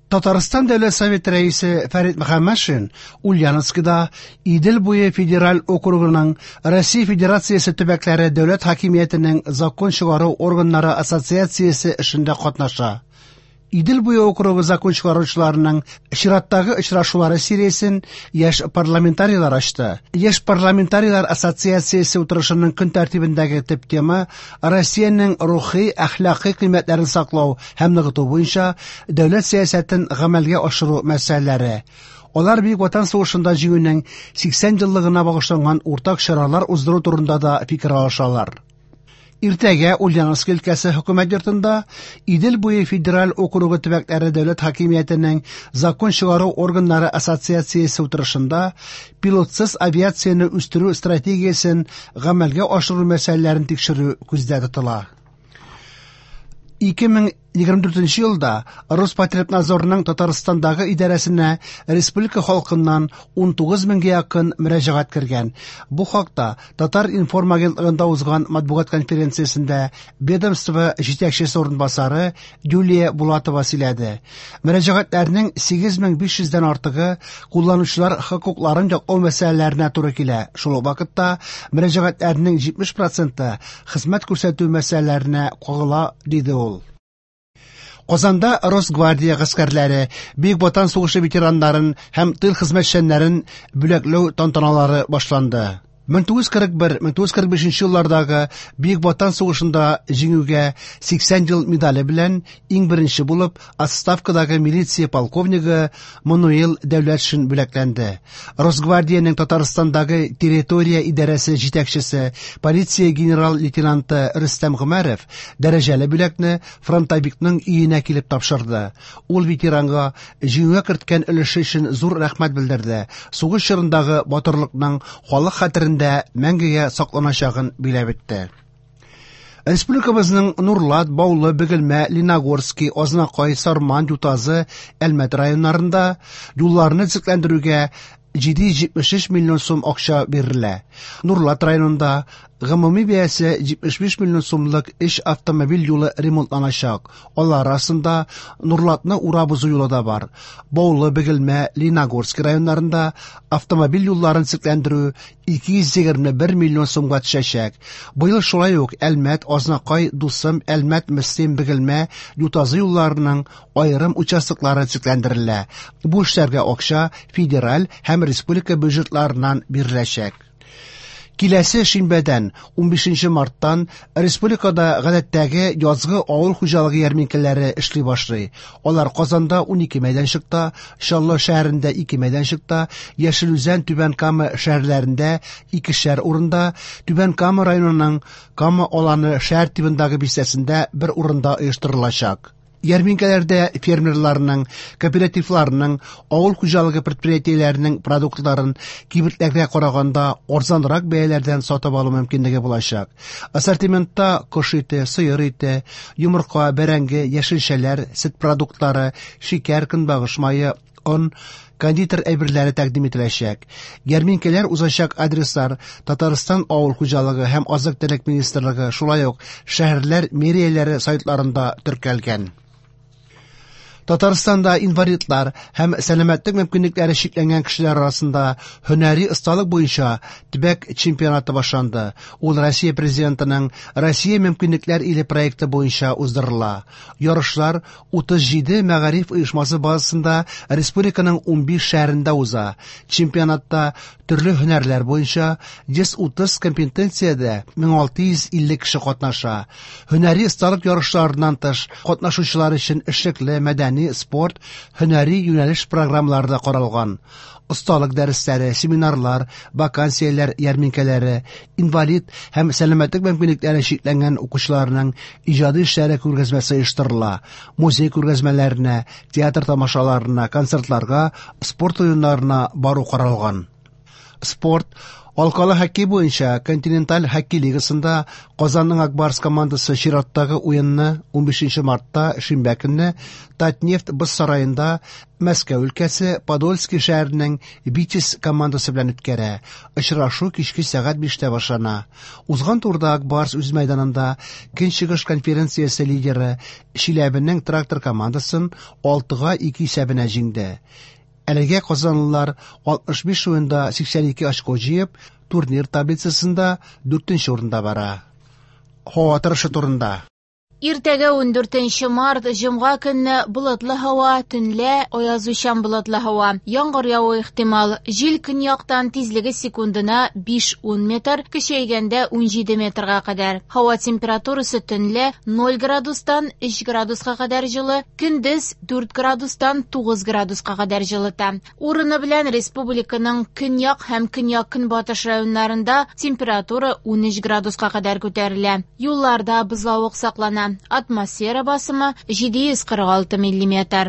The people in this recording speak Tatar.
Татарстан Дәүләт Советы рәисе Фәрит Мөхәммәтшин Ульяновскида Идел буе федераль округының Россия Федерациясе төбәкләре дәүләт хакимиятенең закон чыгару органнары ассоциациясе эшендә катнаша. Идел буе округы закон чыгаручыларының чираттагы очрашулары сериясен яшь парламентарийлар ачты. Яшь парламентарийлар ассоциациясе утырышының көн тәртибендәге төп тема Россиянең рухи, әхлакый кыйммәтләрен саклау һәм ныгыту буенча дәүләт сәясәтен гамәлгә ашыру мәсьәләләре. Алар Бөек Ватан сугышында җиңүнең 80 еллыгына багышланган уртак чаралар уздыру турында да фикер алышалар. Иртәгә Ульяновск өлкәсе хөкүмәт йортында Идел буе федераль округы төбәкләре дәүләт хакимиятенең закон чыгару органнары ассоциациясе утырышында пилотсыз авиацияне үстерү стратегиясен гамәлгә ашыру мәсьәләләрен тикшерү күздә тотыла. 2024 елда Роспотребнадзорның Татарстандагы идарәсенә республика халкыннан 19 меңгә якын мөрәҗәгать кергән. Бу хакта Татар-информ агентлыгында узган матбугат конференциясендә ведомство җитәкчесе урынбасары Юлия Булатова сөйләде. Мөрәҗәгатьләрнең 8500 дән артыгы кулланучылар хокукларын яклау мәсьәләләренә туры килә. Шул ук вакытта мөрәҗәгатьләрнең 70 проценты хезмәт күрсәтү мәсьәләләренә кагыла, диде ул. Казанда Росгвардия гаскәрләре, Бөек Ватан сугышы ветераннарын һәм тыл хезмәтчәннәрен бүләкләү тантаналары башланды. 1941-1945 еллардагы Бөек Ватан сугышында җиңүгә 80 ел медале белән иң беренче булып отставкадагы милиция полковнигы Мануил Дәүләтшин бүләкләнде. Росгвардиянең Татарстандагы территория идарәсе җитәкчесе, полиция генерал-лейтенанты Рөстәм Гомәров дәрәҗәле бүләкне фронтовикның өенә килеп тапшырды. Ул ветеранга җиңүгә керткән өлеше өчен зур рәхмәт белдерде. Сугыш чорындагы батырлыкның халык хәтерендә мәңгегә сакланачагын биләп үтте. Республикабызның Нурлат, Баулы, Бөгелмә, Леногорский, Азнакай, Сарман, Ютазы, Әлмәт районнарында юлларны төзекләндерүгә 773 миллион сум акча бирелә. Нурлат районында гомуми бәясе 75 миллион сумлык өч автомобиль юлы ремонтланачак. Алар арасында Нурлатны урап узу юлы да бар. Баулы, Бөгелмә, Леногорский районнарында автомобиль юлларын төзекләндерү 221 миллион сумга төшәчәк. Быел шулай ук Әлмәт, Азнакай, Дусым, Әлмәт, Мөслим, Бөгелмә, Ютазы юлларының аерым участоклары төзекләндерелә. Бу эшләргә акча федераль һәм республика бюджетларыннан биреләчәк. Киләсе шимбәдән, 15 марттан республикада гадәттәге язгы авыл хуҗалыгы ярминкәләре эшли башлый. Алар Казанда 12 мәйданчыкта, Чаллы шәһәрендә 2 мәйданчыкта, Яшел Үзән, Түбән Кама шәһәрләрендә икешәр урында, Түбән Кама районының Кама Аланы шәһәр тибындагы бистәсендә бер урында оештырылачак. Ярминкәләрдә фермерларның, кооперативларның, авыл хуҗалыгы предприятиеләренең продуктларын кибетләргә караганда арзанрак бәяләрдән сатып алу мөмкинлеге булачак. Ассортиментта кош ите, сыер ите, йомырка, бәрәңге, яшелчәләр, сөт продуктлары, шикәр, көнбагыш мае, он, кондитер әйберләре тәкъдим ителәчәк. Ярминкәләр узачак адреслар Татарстан авыл хуҗалыгы һәм азык-төлек министрлыгы, шулай ук шәһәрләр мэрияләре сайтларында теркәлгән. Татарстанда инвалидлар һәм сәламәтлек мөмкинлекләре чикләнгән кешеләр арасында һөнәри осталык буенча төбәк чемпионаты башланды. Ул Россия Президентының Россия мөмкинлекләр иле проекты буенча уздырыла. Ярышлар 37 мәгариф оешмасы базасында республиканың 15 шәһәрендә уза. Чемпионатта төрле һөнәрләр буенча 130 компетенциядә 1650 кеше катнаша. Һөнәри осталык ярышларыннан тыш, катнашучылар өчен эшлекле, мәдәни, спорт, һөнәри юнәлеш программалары да каралган. Осталык дәресләре, семинарлар, вакансияләр ярминкәләре, инвалид һәм сәламәтлек мөмкинлекләре чикләнгән укучыларның иҗади эшләре күргәзмәсе оештырыла. Музей күргәзмәләренә, театр тамашаларына, концертларга, спорт уеннарына бару каралган. Спорт. Алкалы хоккей буенча Континенталь хоккей лигасында Казанның Ак Барс командасы чираттагы уенны 15 мартта шимбә көнне Татнефть боз сараенда Мәскәү өлкәсе Подольски шәһәренең Витязь командасы белән үткәрә. Очрашу кичке сәгать 5тә башлана. Узган турда Ак Барс үз мәйданында Көнчыгыш конференциясе лидеры Чиләбенең Трактор командасын 6-2 исәбенә җиңде. Әлегә казанлылар 65 уенда 82 очко җыеп, турнир таблицасында 4нче урында бара. Һава торышы турында. Иртәгә 14 март, җомга көнне болытлы һава, төнлә аязучан болытлы һава. Яңгыр явуы ихтимал. Җил көньяктан тизлеге секундына 5-10 метр, көчәйгәндә 17 метрга кадәр. Һава температурасы төнлә 0 градустан 3 градуска кадәр җылы, көндез 4 градустан 9 градуска кадәр җылыта. Урыны белән республиканың көньяк һәм көньяк-көнбатыш районнарында температура 13 градуска кадәр күтәрелә. Юлларда бозлавык саклана. Атмосфера басымы 746 миллиметр.